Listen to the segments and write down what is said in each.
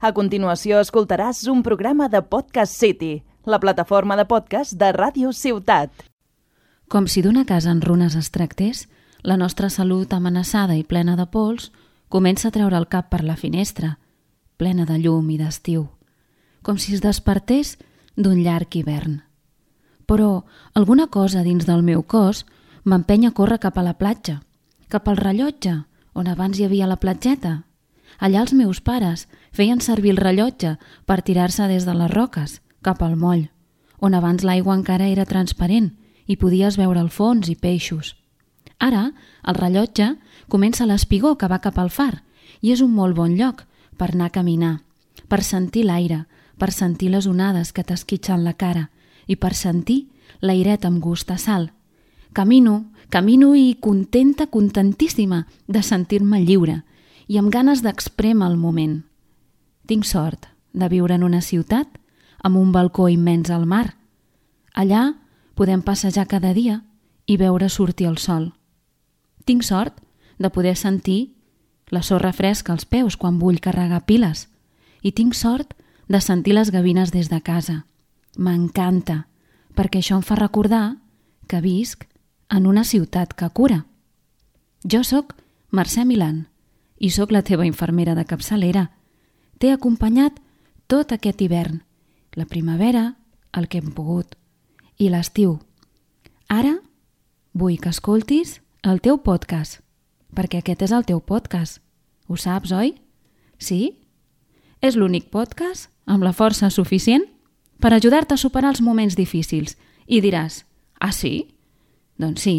A continuació escoltaràs un programa de Podcast City, la plataforma de podcast de Ràdio Ciutat. Com si d'una casa en runes es tractés, la nostra salut amenaçada i plena de pols comença a treure el cap per la finestra, plena de llum i d'estiu, com si es despertés d'un llarg hivern. Però alguna cosa dins del meu cos m'empeny a córrer cap a la platja, cap al rellotge, on abans hi havia la platgeta. Allà els meus pares feien servir el rellotge per tirar-se des de les roques cap al moll, on abans l'aigua encara era transparent i podies veure el fons i peixos. Ara, el rellotge comença l'espigó que va cap al far i és un molt bon lloc per anar a caminar, per sentir l'aire, per sentir les onades que t'esquitxen la cara i per sentir l'airet amb gust a sal. Camino i contenta, contentíssima de sentir-me lliure i amb ganes d'exprémer el moment. Tinc sort de viure en una ciutat amb un balcó immens al mar. Allà podem passejar cada dia i veure sortir el sol. Tinc sort de poder sentir la sorra fresca als peus quan vull carregar piles i tinc sort de sentir les gavines des de casa. M'encanta, perquè això em fa recordar que visc en una ciutat que cura. Jo sóc Mercè Milán i sóc la teva infermera de capçalera. T'he acompanyat tot aquest hivern, la primavera, el que hem pogut, i l'estiu. Ara vull que escoltis el teu podcast, perquè aquest és el teu podcast. Ho saps, oi? Sí? És l'únic podcast amb la força suficient per ajudar-te a superar els moments difícils. I diràs, ah sí? Doncs sí,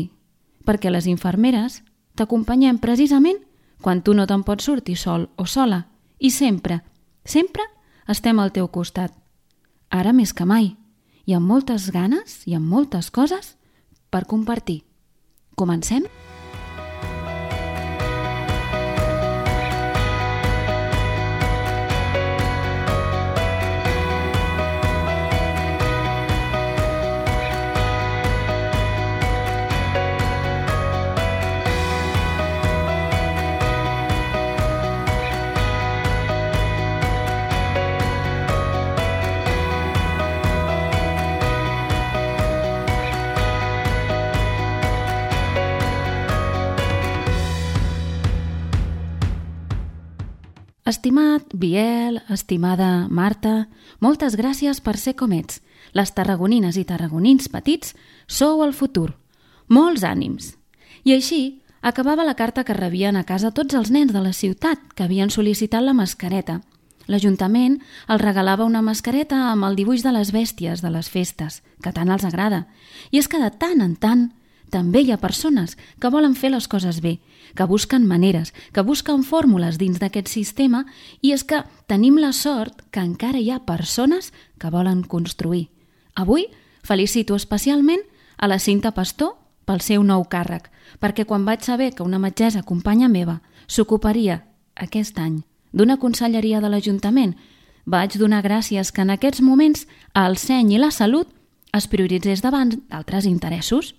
perquè les infermeres t'acompanyem precisament quan tu no te'n pots sortir sol o sola i sempre estem al teu costat. Ara més que mai, i amb moltes ganes i amb moltes coses per compartir. Comencem? Estimat Biel, estimada Marta, moltes gràcies per ser com ets. Les tarragonines i tarragonins petits sou el futur. Molts ànims. I així acabava la carta que rebien a casa tots els nens de la ciutat que havien sol·licitat la mascareta. L'Ajuntament els regalava una mascareta amb el dibuix de les bèsties de les festes, que tant els agrada. I és que de tant en tant també hi ha persones que volen fer les coses bé, que busquen maneres, que busquen fórmules dins d'aquest sistema i és que tenim la sort que encara hi ha persones que volen construir. Avui felicito especialment a la Cinta Pastor pel seu nou càrrec, perquè quan vaig saber que una metgessa companya meva s'ocuparia aquest any d'una conselleria de l'Ajuntament, vaig donar gràcies que en aquests moments el seny i la salut es prioritzés davant d'altres interessos.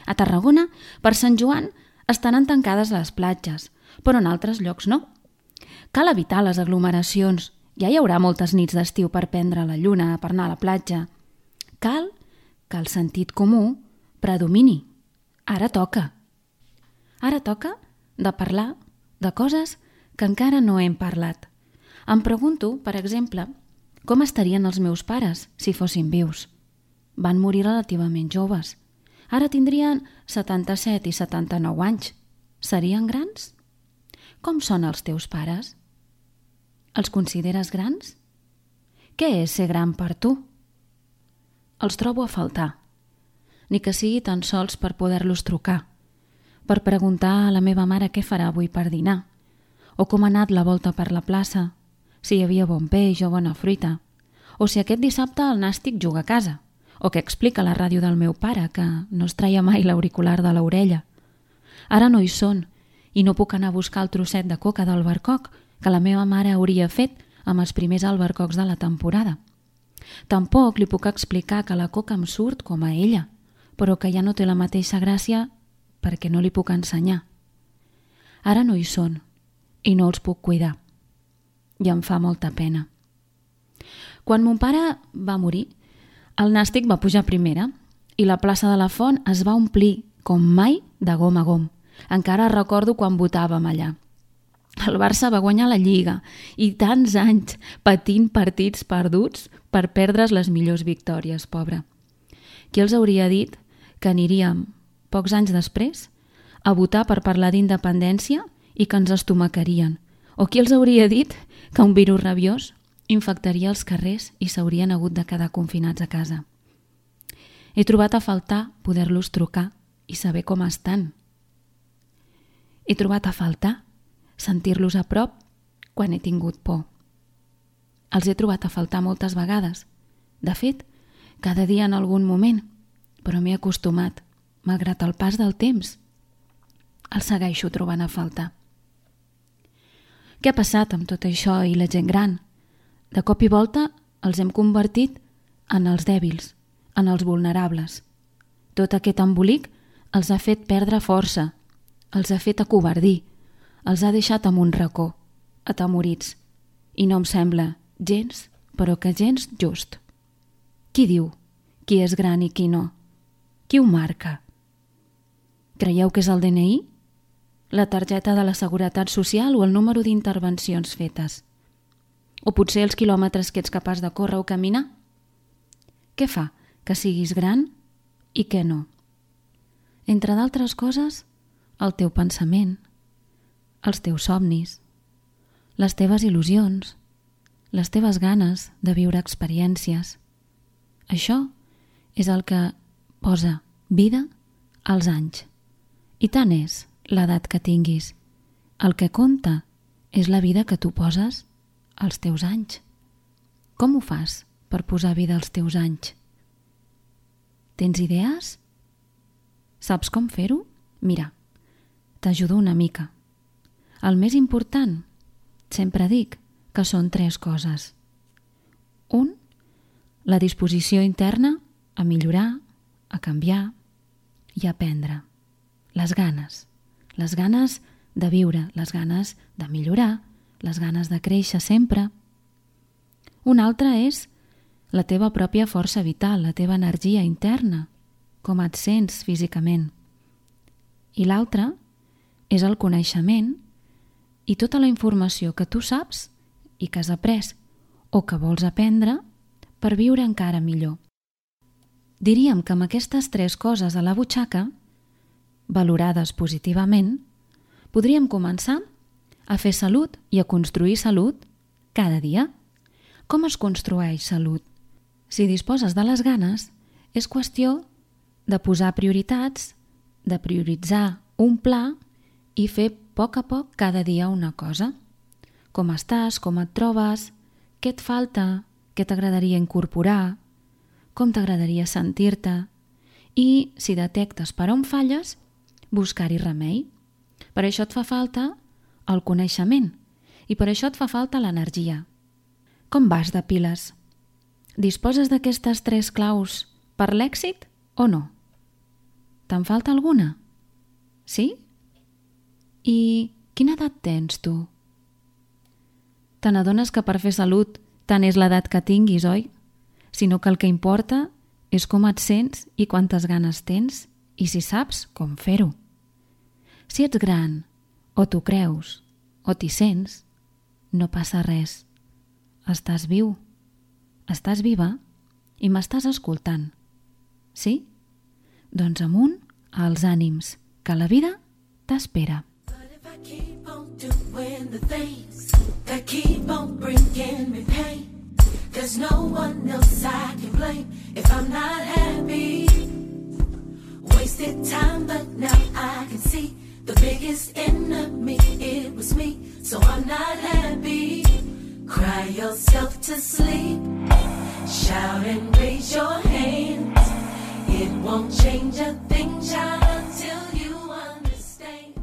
A Tarragona, per Sant Joan, estaran tancades les platges, però en altres llocs no. Cal evitar les aglomeracions. Ja hi haurà moltes nits d'estiu per prendre la lluna, per anar a la platja. Cal que el sentit comú predomini. Ara toca. Ara toca de parlar de coses que encara no hem parlat. Em pregunto, per exemple, com estarien els meus pares si fossin vius. Van morir relativament joves. Ara tindrien 77 i 79 anys. Serien grans? Com són els teus pares? Els consideres grans? Què és ser gran per tu? Els trobo a faltar. Ni que sigui tan sols per poder-los trucar, per preguntar a la meva mare què farà avui per dinar, o com ha anat la volta per la plaça, si hi havia bon peix o bona fruita, o si aquest dissabte el nàstic juga a casa, o que explica a la ràdio del meu pare que no es traia mai l'auricular de l'orella. Ara no hi són i no puc anar a buscar el trosset de coca d'albercoc que la meva mare hauria fet amb els primers albercocs de la temporada. Tampoc li puc explicar que la coca em surt com a ella, però que ja no té la mateixa gràcia perquè no li puc ensenyar. Ara no hi són i no els puc cuidar. i em fa molta pena. Quan mon pare va morir, el Nàstic va pujar a primera i la plaça de la Font es va omplir com mai de gom a gom. Encara recordo quan votàvem allà. El Barça va guanyar la Lliga i tants anys patint partits perduts per perdre's les millors victòries, pobre. Qui els hauria dit que aniríem, pocs anys després, a votar per parlar d'independència i que ens estomacarien? O qui els hauria dit que un virus rabiós infectaria els carrers i s'haurien hagut de quedar confinats a casa? He trobat a faltar poder-los trucar i saber com estan. He trobat a faltar sentir-los a prop quan he tingut por. Els he trobat a faltar moltes vegades. De fet, cada dia en algun moment, però m'he acostumat, malgrat el pas del temps. Els segueixo trobant a faltar. Què ha passat amb tot això i la gent gran? De cop i volta els hem convertit en els dèbils, en els vulnerables. Tot aquest embolic els ha fet perdre força, els ha fet acovardir, els ha deixat en un racó, atemorits. I no em sembla gens, però que gens just. Qui diu qui és gran i qui no? Qui ho marca? Creieu que és el DNI? La targeta de la Seguretat Social o el número d'intervencions fetes? O potser els quilòmetres que ets capaç de córrer o caminar? Què fa que siguis gran i què no? Entre d'altres coses, el teu pensament, els teus somnis, les teves il·lusions, les teves ganes de viure experiències. Això és el que posa vida als anys. I tant és l'edat que tinguis. El que compta és la vida que tu poses als teus anys. Com ho fas per posar vida als teus anys? Tens idees? Saps com fer-ho? Mira, t'ajudo una mica. El més important, sempre dic, que són 3 coses. 1. La disposició interna a millorar, a canviar i a aprendre. Les ganes de viure, les ganes de millorar, les ganes de créixer sempre. Una altra és la teva pròpia força vital, la teva energia interna, com et sents físicament. I l'altra és el coneixement i tota la informació que tu saps i que has après o que vols aprendre per viure encara millor. Diríem que amb aquestes 3 coses a la butxaca, valorades positivament, podríem començar a fer salut i a construir salut cada dia. Com es construeix salut? Si disposes de les ganes, és qüestió de posar prioritats, de prioritzar un pla i fer a poc cada dia una cosa. Com estàs, com et trobes, què et falta, què t'agradaria incorporar, com t'agradaria sentir-te i, si detectes per on falles, buscar-hi remei. Per això et fa falta el coneixement i per això et fa falta l'energia. Com vas de piles? Disposes d'aquestes 3 claus per l'èxit o no? Te'n falta alguna? Sí? I quina edat tens tu? Te n'adones que per fer salut tant és l'edat que tinguis, oi? Sinó que el que importa és com et sents i quantes ganes tens i si saps com fer-ho. Si ets gran, o t'ho creus, o t'hi sents, no passa res. Estàs viu, estàs viva i m'estàs escoltant. Sí? Doncs amunt als ànims, que la vida t'espera. Keep on doing the things that keep on bringing me pain. There's no one else I can blame if I'm not happy. Wasted time, but now I can see the biggest enemy, it was me. So I'm not happy. Cry yourself to sleep. Shout and raise your hands. It won't change a thing, child, until you understand.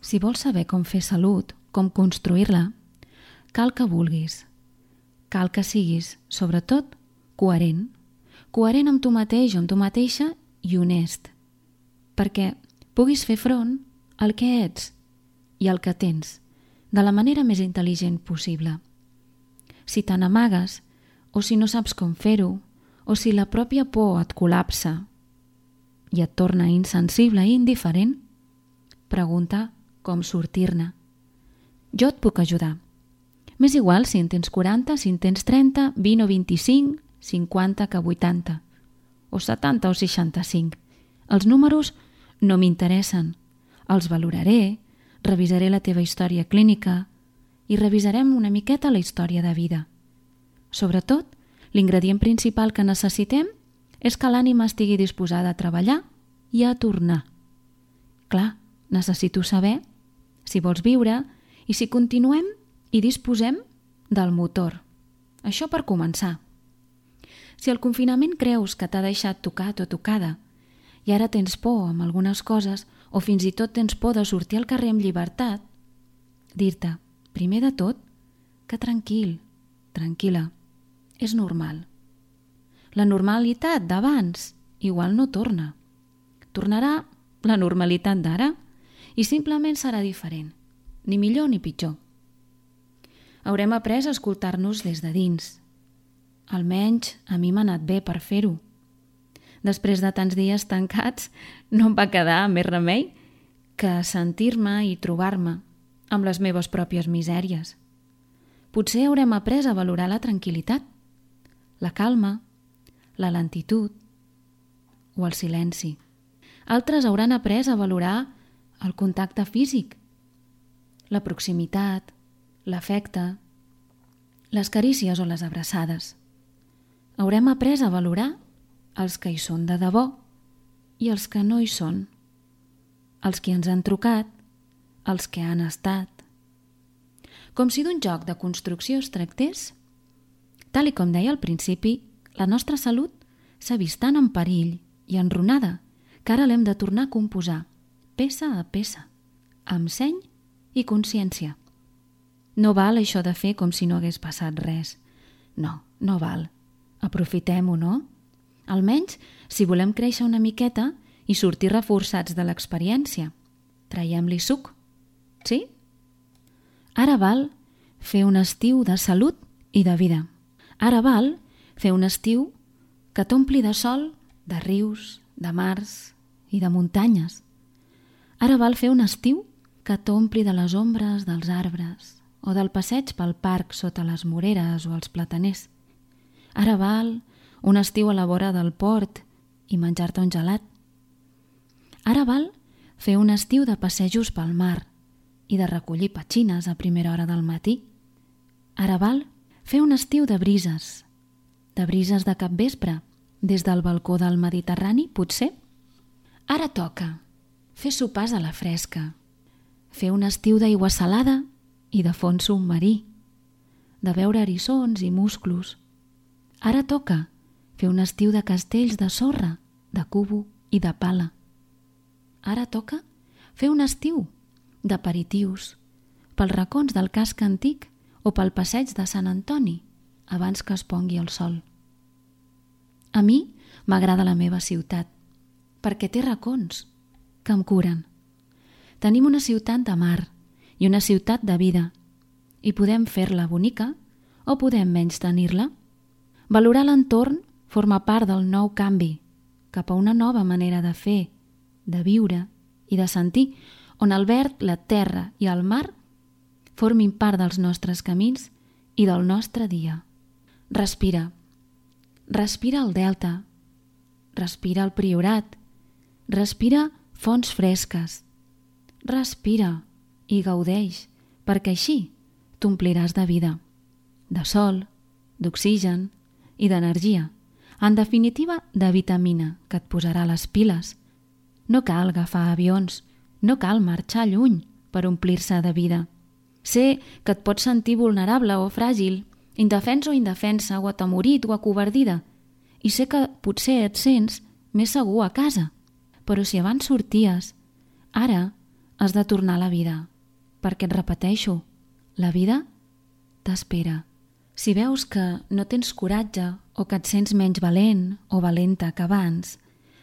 Si vols saber com fer salut, com construir-la, cal que vulguis. Cal que siguis, sobretot, coherent. Coherent amb tu mateix o amb tu mateixa i honest. Perquè puguis fer front al que ets i al que tens. de la manera més intel·ligent possible. Si te n'amagues, o si no saps com fer-ho, o si la pròpia por et col·lapsa i et torna insensible i indiferent, pregunta com sortir-ne. Jo et puc ajudar. M'és igual si en tens 40, si en tens 30, 20 o 25, 50 que 80, o 70 o 65. Els números no m'interessen. Els valoraré, revisaré la teva història clínica i revisarem una miqueta la història de vida. Sobretot, l'ingredient principal que necessitem és que l'ànima estigui disposada a treballar i a tornar. Clar, necessito saber si vols viure i si continuem i disposem del motor. Això per començar. Si el confinament creus que t'ha deixat tocat o tocada i ara tens por amb algunes coses o fins i tot tens por de sortir al carrer amb llibertat, dir-te, primer de tot, que tranquil, tranquil·la, és normal. La normalitat d'abans igual no torna. Tornarà la normalitat d'ara i simplement serà diferent, ni millor ni pitjor. Haurem après a escoltar-nos des de dins. Almenys a mi m'ha anat bé per fer-ho. Després de tants dies tancats, no em va quedar més remei que sentir-me i trobar-me amb les meves pròpies misèries. Potser haurem après a valorar la tranquil·litat, la calma, la lentitud o el silenci. Altres hauran après a valorar el contacte físic, la proximitat, l'afecte, les carícies o les abraçades. Haurem après a valorar els que hi són de debò i els que no hi són, els que ens han trucat, els que han estat. Com si d'un joc de construcció es tractés, tal com deia al principi, la nostra salut s'ha vist tan en perill i enrunada que ara l'hem de tornar a composar, peça a peça, amb seny i consciència. No val això de fer com si no hagués passat res. No, no val. Aprofitem-ho, no? Almenys, si volem créixer una miqueta i sortir reforçats de l'experiència, traiem-li suc, sí? Ara val fer un estiu de salut i de vida. Ara val fer un estiu que t'ompli de sol, de rius, de mars i de muntanyes. Ara val fer un estiu que t'ompli de les ombres dels arbres o del passeig pel parc sota les moreres o els plataners. Ara val un estiu a la vora del port i menjar-te un gelat. Ara val fer un estiu de passejos pel mar i de recollir petxines a primera hora del matí. Ara val fer un estiu de brises de capvespre, des del balcó del Mediterrani, potser. Ara toca fer sopars a la fresca, fer un estiu d'aigua salada i de fons submarí, de veure eriçons i musclos. Ara toca fer un estiu de castells de sorra, de cubo i de pala. Ara toca fer un estiu d'aperitius pels racons del casc antic o pel passeig de Sant Antoni abans que es pongui el sol. A mi m'agrada la meva ciutat perquè té racons que em curen. Tenim una ciutat de mar i una ciutat de vida i podem fer-la bonica o podem menys tenir-la. Valorar l'entorn forma part del nou canvi cap a una nova manera de fer, de viure i de sentir, on el verd, la terra i el mar formin part dels nostres camins i del nostre dia. Respira. Respira el delta. Respira el Priorat. Respira fonts fresques. Respira i gaudeix, perquè així t'ompliràs de vida, de sol, d'oxigen i d'energia. En definitiva, de vitamina que et posarà les piles. No cal agafar avions, no cal marxar lluny per omplir-se de vida. Sé que et pots sentir vulnerable o fràgil, indefens o indefensa, o atemorit o acovardida, i sé que potser et sents més segur a casa, però si abans sorties, ara has de tornar a la vida, perquè et repeteixo, la vida t'espera. Si veus que no tens coratge o que et sents menys valent o valenta que abans,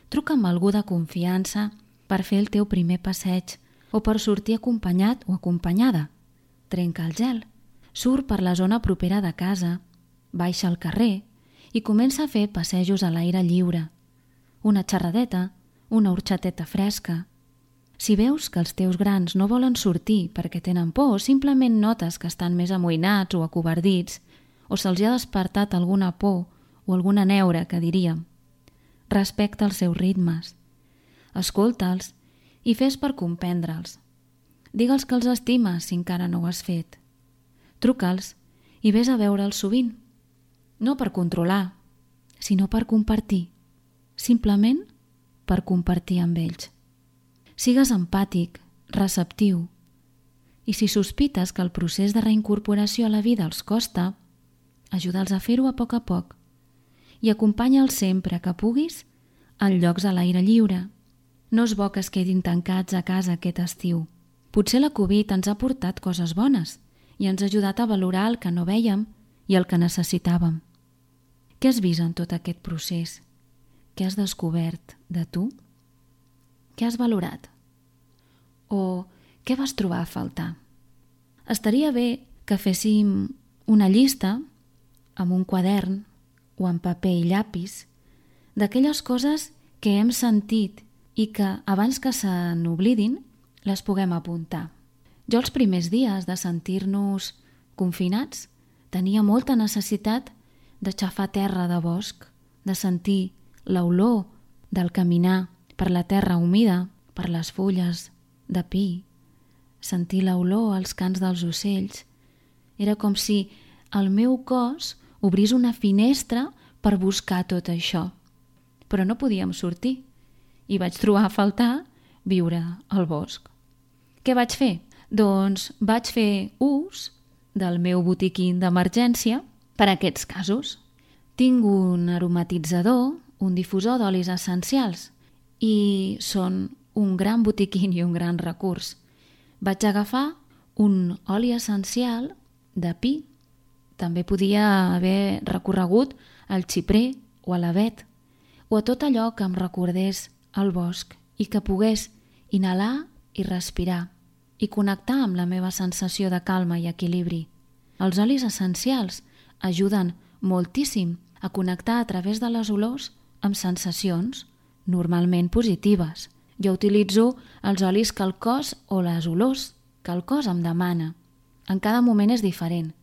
truca amb algú de confiança per fer el teu primer passeig o per sortir acompanyat o acompanyada. trenca el gel, surt per la zona propera de casa, baixa al carrer i comença a fer passejos a l'aire lliure. Una xerradeta, una horxateta fresca. Si veus que els teus grans no volen sortir perquè tenen por o simplement notes que estan més amoïnats o acovardits o se'ls ha despertat alguna por o alguna neura, que diríem, respecta els seus ritmes. Escolta'ls i fes per comprendre'ls. Digue'ls que els estimes si encara no ho has fet. Truca'ls i vés a veure'ls sovint. No per controlar, sinó per compartir. Simplement per compartir amb ells. Sigues empàtic, receptiu. I si sospites que el procés de reincorporació a la vida els costa, ajuda'ls a fer-ho a poc i acompanya'ls sempre que puguis en llocs a l'aire lliure. No és bo que es quedin tancats a casa aquest estiu. Potser la Covid ens ha portat coses bones i ens ha ajudat a valorar el que no vèiem i el que necessitàvem. Què has vist en tot aquest procés? Què has descobert de tu? Què has valorat? O què vas trobar a faltar? Estaria bé que féssim una llista amb un quadern o amb paper i llapis d'aquelles coses que hem sentit i que abans que se n'oblidin les puguem apuntar. Jo els primers dies de sentir-nos confinats tenia molta necessitat d'aixafar terra de bosc, de sentir l'olor del caminar per la terra humida, per les fulles de pi, sentir l'olor als cants dels ocells. Era com si el meu cos obrís una finestra per buscar tot això. Però no podíem sortir i vaig trobar a faltar viure al bosc. Què vaig fer? Doncs vaig fer ús del meu botiquín d'emergència per a aquests casos. Tinc un aromatitzador, un difusor d'olis essencials i són un gran botiquín i un gran recurs. Vaig agafar un oli essencial de pi. També podia haver recorregut al xiprer o a l'avet o a tot allò que em recordés el bosc i que pogués inhalar i respirar i connectar amb la meva sensació de calma i equilibri. Els olis essencials ajuden moltíssim a connectar a través de les olors amb sensacions normalment positives. Jo utilitzo els olis que el cos o les olors que el cos em demana. En cada moment és diferent.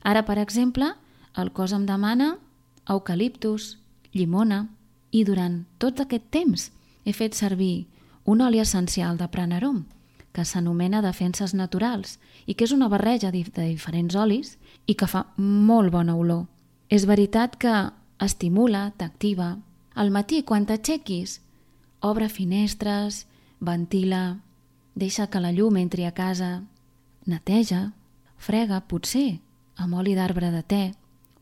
Ara, per exemple, el cos em demana eucaliptus, llimona i durant tot aquest temps he fet servir un oli essencial de Pranarom que s'anomena Defenses Naturals i que és una barreja de diferents olis i que fa molt bona olor. És veritat que estimula, t'activa. Al matí, quan t'aixequis, obre finestres, ventila, deixa que la llum entri a casa, neteja, frega, potser, amb oli d'arbre de te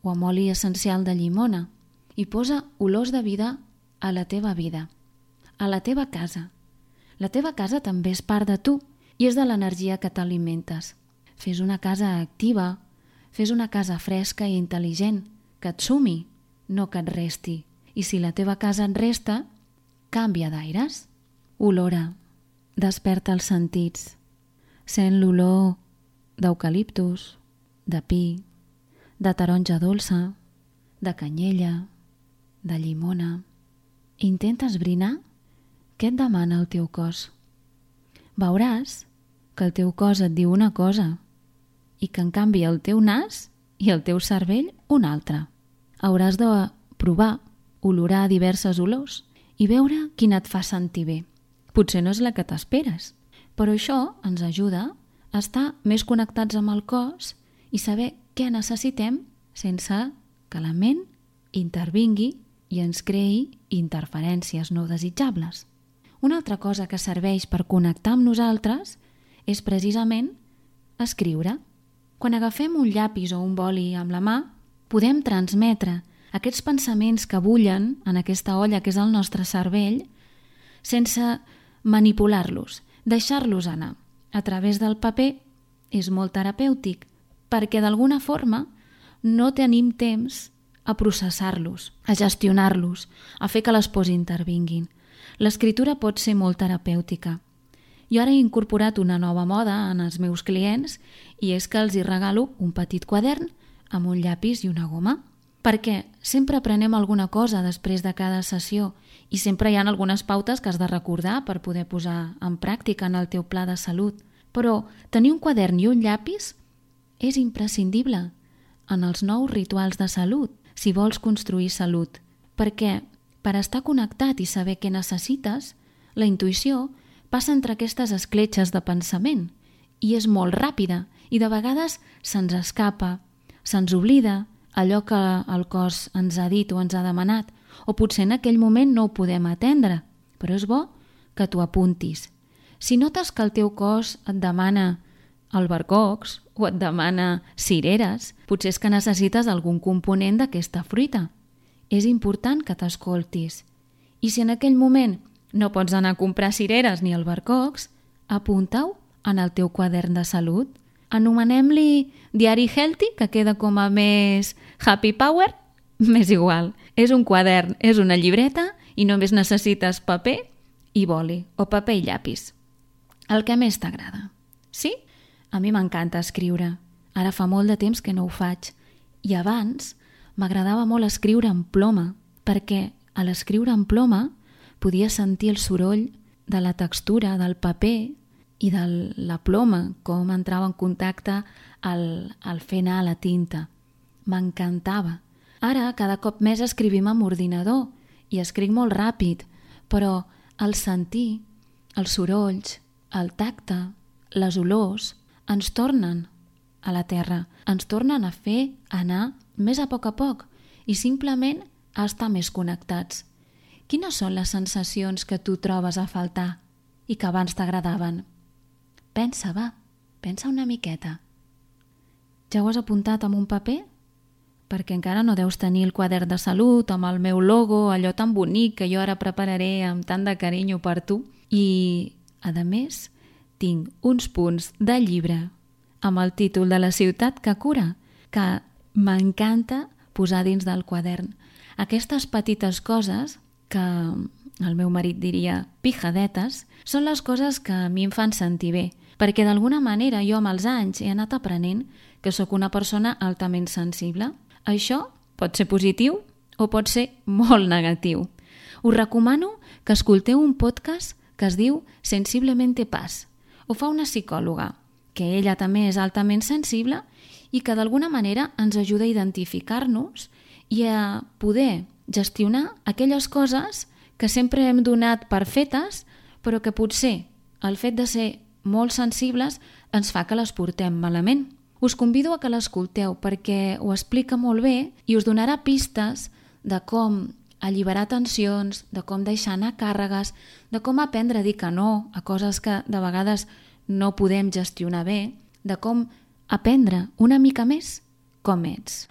o amb oli essencial de llimona i posa olors de vida a la teva vida, a la teva casa. La teva casa també és part de tu i és de l'energia que t'alimentes. Fes una casa activa, fes una casa fresca i intel·ligent, que et sumi, no que et resti. I si la teva casa et resta, canvia d'aires. Olora, desperta els sentits. Sent l'olor d'eucaliptus, de pi, de taronja dolça, de canyella, de llimona. Intenta esbrinar què et demana el teu cos. Veuràs que el teu cos et diu una cosa i que en canvi el teu nas i el teu cervell una altra. Hauràs de provar, olorar diverses olors i veure quina et fa sentir bé. Potser no és la que t'esperes, però això ens ajuda a estar més connectats amb el cos i saber què necessitem sense que la ment intervingui i ens creï interferències no desitjables. Una altra cosa que serveix per connectar amb nosaltres és precisament escriure. Quan agafem un llapis o un boli amb la mà, podem transmetre aquests pensaments que bullen en aquesta olla que és el nostre cervell sense manipular-los, deixar-los anar. A través del paper és molt terapèutic perquè d'alguna forma no tenim temps a processar-los, a gestionar-los, a fer que les pors intervinguin. L'escriptura pot ser molt terapèutica Jo ara he incorporat una nova moda en els meus clients i és que els hi regalo un petit quadern amb un llapis i una goma. Perquè sempre aprenem alguna cosa després de cada sessió i sempre hi ha algunes pautes que has de recordar per poder posar en pràctica en el teu pla de salut. Però tenir un quadern i un llapis és imprescindible en els nous rituals de salut, si vols construir salut. Perquè per estar connectat i saber què necessites, la intuïció passa entre aquestes escletxes de pensament i és molt ràpida i de vegades se'ns escapa, se'ns oblida allò que el cos ens ha dit o ens ha demanat, o potser en aquell moment no ho podem atendre, però és bo que t'ho apuntis. Si notes que el teu cos et demana albercocs o et demana cireres, potser és que necessites algun component d'aquesta fruita. És important que t'escoltis. I si en aquell moment no pots anar a comprar cireres ni albercocs, apunta-ho en el teu quadern de salut. Anomenem-li diari healthy, que queda com a més happy power, m'és igual. És un quadern, és una llibreta i només necessites paper i boli, o paper i llapis. El que més t'agrada. Sí? A mi m'encanta escriure. Ara fa molt de temps que no ho faig. I abans m'agradava molt escriure en ploma, perquè a l'escriure en ploma podia sentir el soroll de la textura del paper i de la ploma, com entrava en contacte al fer anar la tinta. M'encantava. Ara cada cop més escrivim amb ordinador i escric molt ràpid, però el sentir, els sorolls, el tacte, les olors, ens tornen a la terra, ens tornen a fer anar més a poc i simplement a estar més connectats. Quines són les sensacions que tu trobes a faltar i que abans t'agradaven? Pensa una miqueta. Ja ho has apuntat amb un paper? Perquè encara no deus tenir el quadern de salut amb el meu logo, allò tan bonic que jo ara prepararé amb tant de carinyo per tu. I, a més, tinc uns punts de llibre amb el títol de La ciutat que cura, que m'encanta posar dins del quadern. Aquestes petites coses, que el meu marit diria pijadetes, són les coses que a mi em fan sentir bé, perquè d'alguna manera jo amb els anys he anat aprenent que sóc una persona altament sensible. Això pot ser positiu o pot ser molt negatiu. Us recomano que escolteu un podcast que es diu Sensiblemente Paz. Ho fa una psicòloga, que ella també és altament sensible i que d'alguna manera ens ajuda a identificar-nos i a poder gestionar aquelles coses que sempre hem donat per fetes, però que potser el fet de ser molt sensibles ens fa que les portem malament. Us convido a que l'escolteu perquè ho explica molt bé i us donarà pistes de com alliberar tensions, de com deixar anar càrregues, de com aprendre a dir que no a coses que de vegades no podem gestionar bé, de com aprendre una mica més com ets.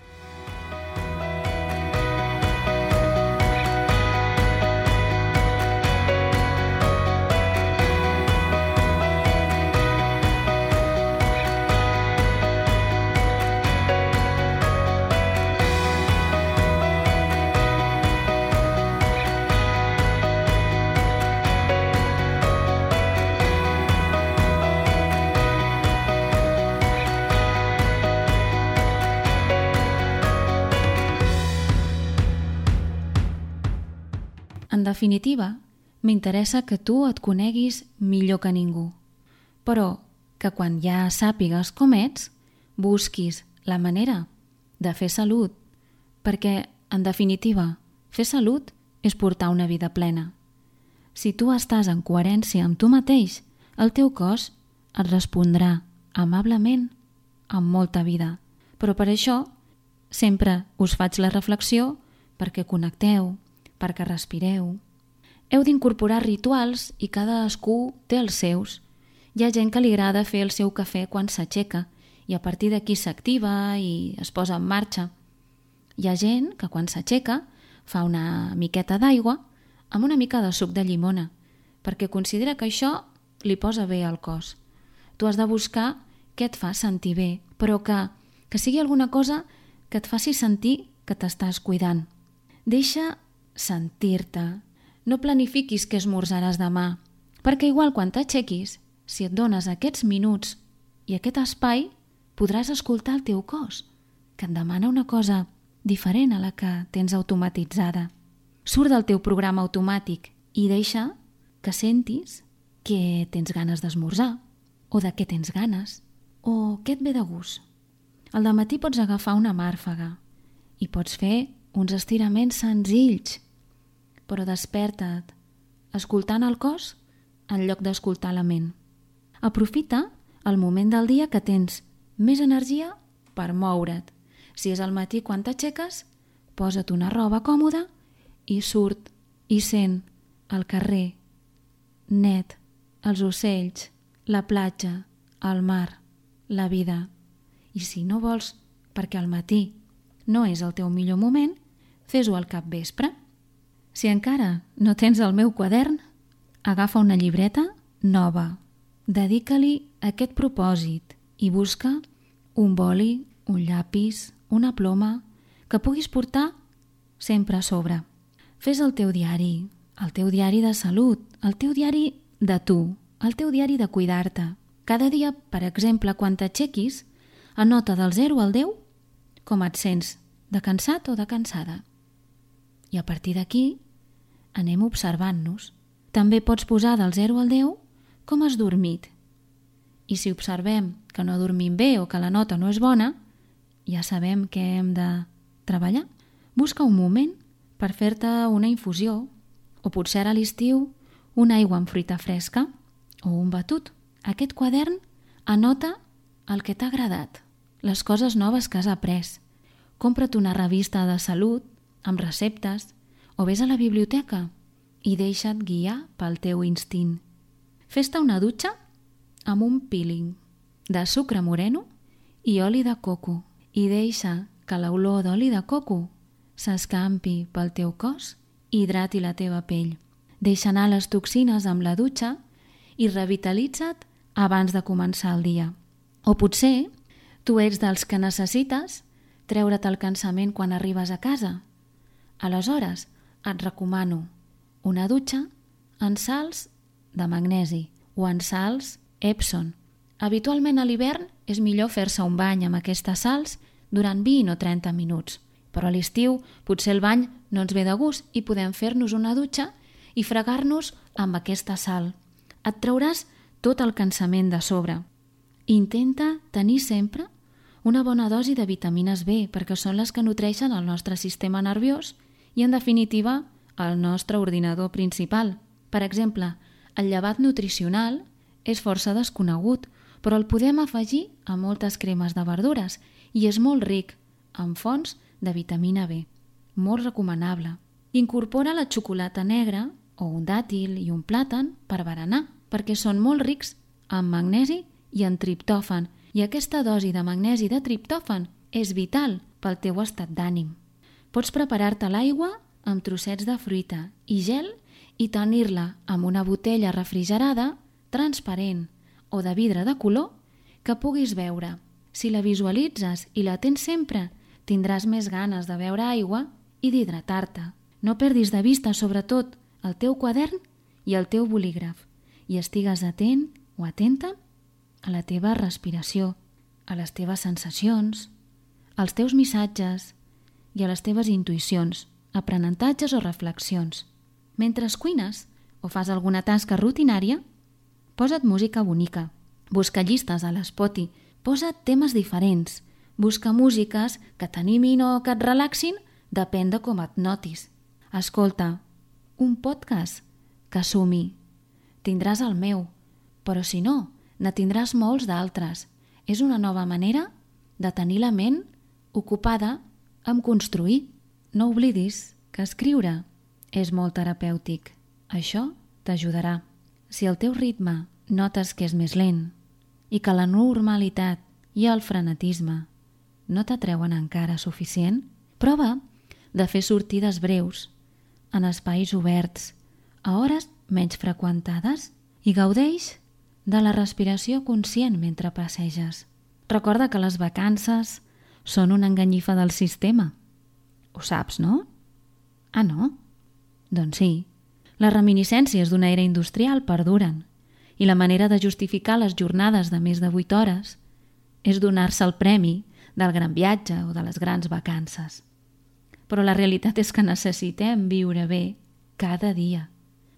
En definitiva, m'interessa que tu et coneguis millor que ningú, però que quan ja sàpigues com ets, busquis la manera de fer salut, perquè, en definitiva, fer salut és portar una vida plena. Si tu estàs en coherència amb tu mateix, el teu cos et respondrà amablement amb molta vida. Però per això sempre us faig la reflexió perquè connecteu, perquè respireu. Heu d'incorporar rituals i cadascú té els seus. Hi ha gent que li agrada fer el seu cafè quan s'aixeca i a partir d'aquí s'activa i es posa en marxa. Hi ha gent que quan s'aixeca fa una miqueta d'aigua amb una mica de suc de llimona perquè considera que això li posa bé al cos. Tu has de buscar què et fa sentir bé, però que sigui alguna cosa que et faci sentir que t'estàs cuidant. Deixa sentir-te. No planifiquis què esmorzaràs demà, perquè igual quan t'aixequis si et dones aquests minuts i aquest espai, podràs escoltar el teu cos, que et demana una cosa diferent a la que tens automatitzada. Surt del teu programa automàtic i deixa que sentis que tens ganes d'esmorzar, o de què tens ganes, o què et ve de gust. Al dematí pots agafar una màrfaga i pots fer uns estiraments senzills, però desperta't escoltant el cos en lloc d'escoltar la ment. Aprofita el moment del dia que tens més energia per moure't. Si és al matí quan t'aixeques, posa't una roba còmoda i surt i sent el carrer net, els ocells, la platja, el mar, la vida. I si no vols, perquè al matí no és el teu millor moment, fes-ho al capvespre. Si encara no tens el meu quadern, agafa una llibreta nova, dedica-li aquest propòsit i busca un boli, un llapis, una ploma que puguis portar sempre a sobre. Fes el teu diari de salut, el teu diari de tu, el teu diari de cuidar-te. Cada dia, per exemple, quan t'aixequis, anota del 0 al 10 com et sents, de cansat o de cansada. I a partir d'aquí anem observant-nos. També pots posar del 0 al 10 com has dormit. I si observem que no dormim bé o que la nota no és bona, ja sabem que hem de treballar. Busca un moment per fer-te una infusió, o potser a l'estiu una aigua amb fruita fresca o un batut. Aquest quadern anota el que t'ha agradat, les coses noves que has après. Compra't una revista de salut amb receptes o vés a la biblioteca i deixa't guiar pel teu instint. Fes-te una dutxa amb un peeling de sucre moreno i oli de coco i deixa que l'olor d'oli de coco s'escampi pel teu cos i hidrati la teva pell. Deixa anar les toxines amb la dutxa i revitalitza't abans de començar el dia. O potser tu ets dels que necessites treure't el cansament quan arribes a casa. Aleshores et recomano una dutxa en sals de magnesi o en sals Epsom. Habitualment a l'hivern és millor fer-se un bany amb aquestes sals durant 20 o 30 minuts, però a l'estiu potser el bany no ens ve de gust i podem fer-nos una dutxa i fregar-nos amb aquesta sal. Et trauràs tot el cansament de sobre. Intenta tenir sempre una bona dosi de vitamines B perquè són les que nutreixen el nostre sistema nerviós i, en definitiva, el nostre ordinador principal. Per exemple, el llevat nutricional és força desconegut, però el podem afegir a moltes cremes de verdures i és molt ric en fonts de vitamina B. Molt recomanable. Incorpora la xocolata negra o un dàtil i un plàtan per berenar, perquè són molt rics en magnesi i en triptòfan, i aquesta dosi de magnesi i de triptòfan és vital pel teu estat d'ànim. Pots preparar-te l'aigua amb trossets de fruita i gel i tenir-la amb una botella refrigerada, transparent o de vidre de color que puguis beure. Si la visualitzes i la tens sempre, tindràs més ganes de beure aigua i d'hidratar-te. No perdis de vista, sobretot, el teu quadern i el teu bolígraf i estigues atent o atenta a la teva respiració, a les teves sensacions, als teus missatges i a les teves intuïcions, aprenentatges o reflexions. Mentre cuines o fas alguna tasca rutinària, posa't música bonica. Busca llistes a l'Spotify, posa't temes diferents, busca músiques que t'animin o que et relaxin, depèn de com et notis. Escolta, un podcast que sumi. Tindràs el meu, però si no, ne tindràs molts d'altres. És una nova manera de tenir la ment ocupada amb construir. No oblidis que escriure és molt terapèutic. Això t'ajudarà. Si el teu ritme notes que és més lent i que la normalitat i el frenetisme no t'atreuen encara suficient, prova de fer sortides breus en espais oberts, a hores menys freqüentades, i gaudeix de la respiració conscient mentre passeges. Recorda que les vacances són una enganyifa del sistema. Ho saps, no? Ah, no? Doncs sí. Les reminiscències d'una era industrial perduren i la manera de justificar les jornades de més de 8 hores és donar-se el premi del gran viatge o de les grans vacances. Però la realitat és que necessitem viure bé cada dia.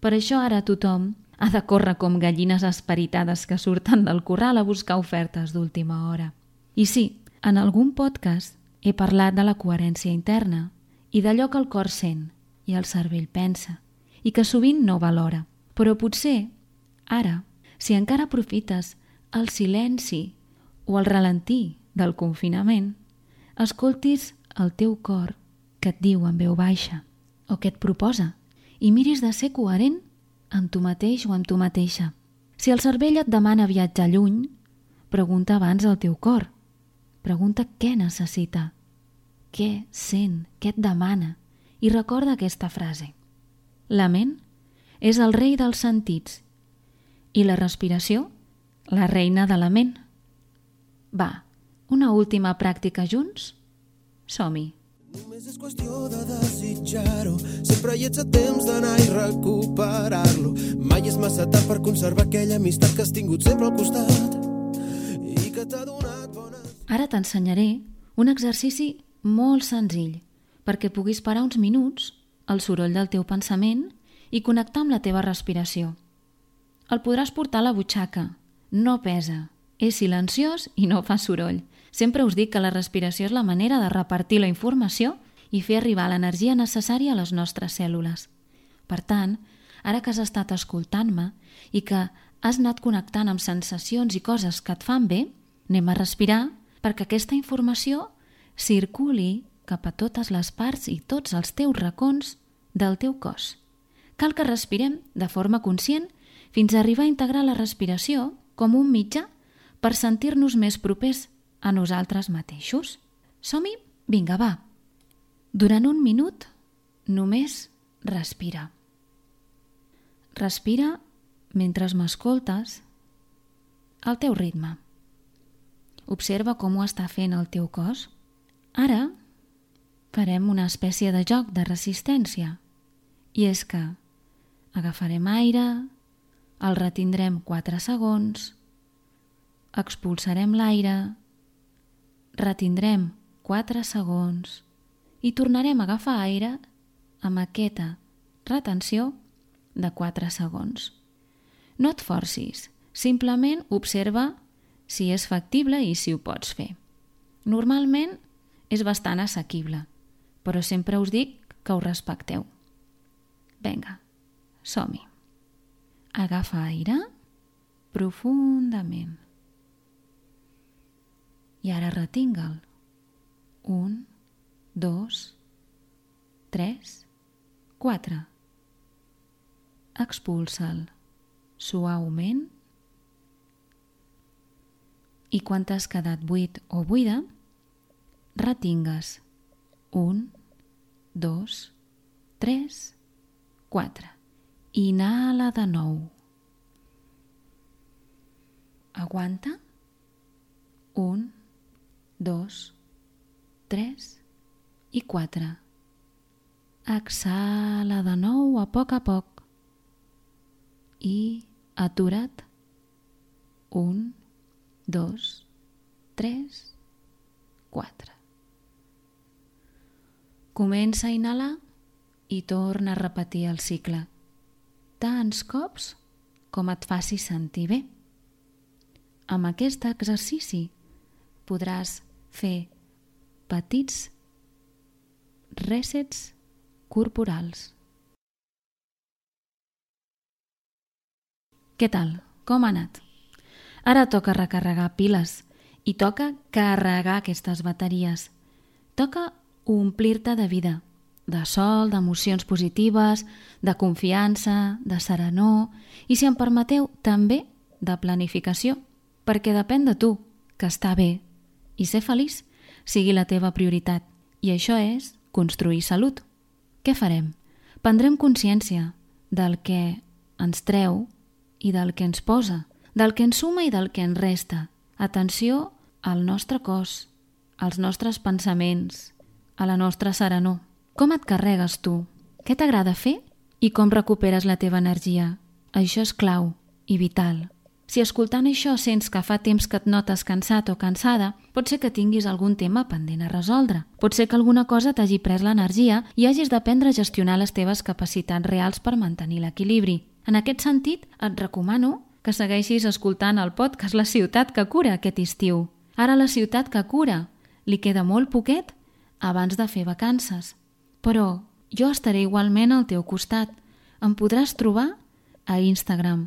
Per això ara tothom ha de córrer com gallines esperitades que surten del corral a buscar ofertes d'última hora. I sí, en algun podcast he parlat de la coherència interna i d'allò que el cor sent i el cervell pensa i que sovint no valora. Però potser, ara, si encara aprofites el silenci o el ralentí del confinament, escoltis el teu cor que et diu en veu baixa o que et proposa i miris de ser coherent amb tu mateix o amb tu mateixa. Si el cervell et demana viatjar lluny, pregunta abans al teu cor. Pregunta què necessita, què sent, què et demana i recorda aquesta frase. La ment és el rei dels sentits i la respiració, la reina de la ment. Va, una última pràctica junts? Som-hi! Només és qüestió de desitjar-ho. Sempre hi ets a temps d'anar i recuperar-lo. Mai és massa tard per conservar aquella amistat que has tingut sempre al costat i que t'ha donat bones... Ara t'ensenyaré un exercici molt senzill perquè puguis parar uns minuts el soroll del teu pensament i connectar amb la teva respiració. El podràs portar a la butxaca. No pesa, és silenciós i no fa soroll. Sempre us dic que la respiració és la manera de repartir la informació i fer arribar l'energia necessària a les nostres cèl·lules. Per tant, ara que has estat escoltant-me i que has anat connectant amb sensacions i coses que et fan bé, anem a respirar perquè aquesta informació circuli cap a totes les parts i tots els teus racons del teu cos. Cal que respirem de forma conscient fins a arribar a integrar la respiració com un mitjà per sentir-nos més propers a nosaltres mateixos. Som-hi? Vinga, va. Durant un minut, només respira. Respira mentre m'escoltes al teu ritme. Observa com ho està fent el teu cos. Ara farem una espècie de joc de resistència. I és que agafarem aire, el retindrem 4 segons, expulsarem l'aire, retindrem 4 segons i tornarem a agafar aire amb aquesta retenció de 4 segons. No et forcis, simplement observa si és factible i si ho pots fer. Normalment és bastant assequible, però sempre us dic que ho respecteu. Vinga, som-hi. Agafa aire profundament. I ara retinga'l. 1, 2, 3, 4. Expulsa'l suaument i quan t'has quedat buit o buida, retingues 1, 2, 3, 4. Inhala de nou. Aguanta. 1, 2, 3 i 4. Exhala de nou a poc i atura't. 1, 2, 3, 4. Comença a inhalar i torna a repetir el cicle, tants cops com et faci sentir bé. Amb aquest exercici podràs fer petits resets corporals. Què tal? Com ha anat? Ara toca recarregar piles i toca carregar aquestes bateries. Toca omplir-te de vida, de sol, d'emocions positives, de confiança, de serenor i, si em permeteu, també de planificació, perquè depèn de tu que estar bé i ser feliç sigui la teva prioritat. I això és construir salut. Què farem? Prendrem consciència del que ens treu i del que ens posa, del que ens suma i del que ens resta. Atenció al nostre cos, als nostres pensaments, a la nostra serenor. Com et carregues tu? Què t'agrada fer? I com recuperes la teva energia? Això és clau i vital Si escoltant això sents que fa temps que et notes cansat o cansada, pot ser que tinguis algun tema pendent a resoldre. Pot ser que alguna cosa t'hagi pres l'energia i hagis d'aprendre a gestionar les teves capacitats reals per mantenir l'equilibri. En aquest sentit, et recomano que segueixis escoltant el podcast La ciutat que cura aquest estiu. Ara La ciutat que cura li queda molt poquet abans de fer vacances. Però jo estaré igualment al teu costat. Em podràs trobar a Instagram,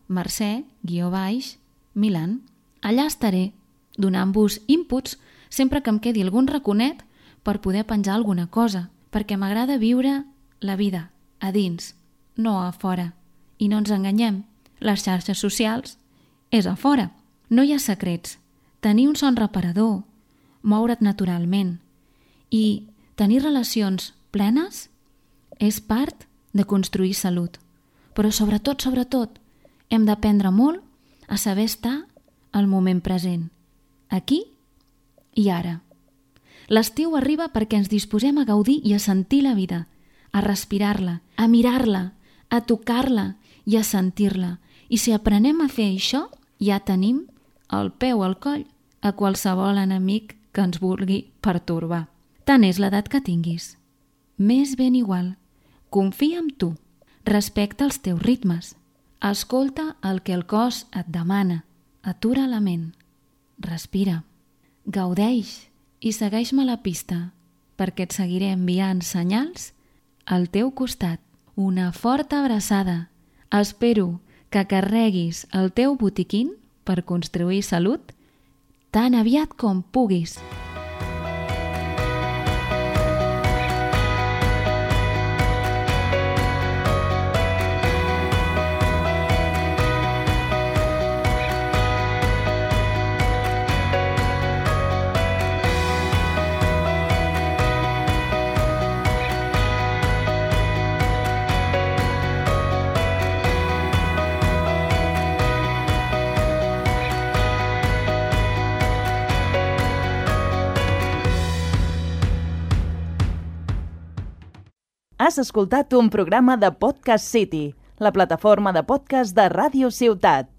@mercè_Milan. Allà estaré, donant-vos inputs sempre que em quedi algun raconet per poder penjar alguna cosa, perquè m'agrada viure la vida a dins, no a fora. I no ens enganyem, les xarxes socials és a fora. No hi ha secrets. Tenir un son reparador, moure't naturalment i tenir relacions plenes és part de construir salut. Però sobretot, hem d'aprendre molt a saber estar al moment present, aquí i ara. L'estiu arriba perquè ens disposem a gaudir i a sentir la vida, a respirar-la, a mirar-la, a tocar-la i a sentir-la. I si aprenem a fer això, ja tenim el peu al coll a qualsevol enemic que ens vulgui pertorbar. Tant és l'edat que tinguis. M'és ben igual. Confia en tu. Respecta els teus ritmes. Escolta el que el cos et demana. Atura la ment. Respira. Gaudeix i segueix-me la pista, perquè et seguiré enviant senyals al teu costat. Una forta abraçada. Espero que carreguis el teu botiquín per construir salut tan aviat com puguis. Has escoltat un programa de Podcast City, la plataforma de podcast de Ràdio Ciutat.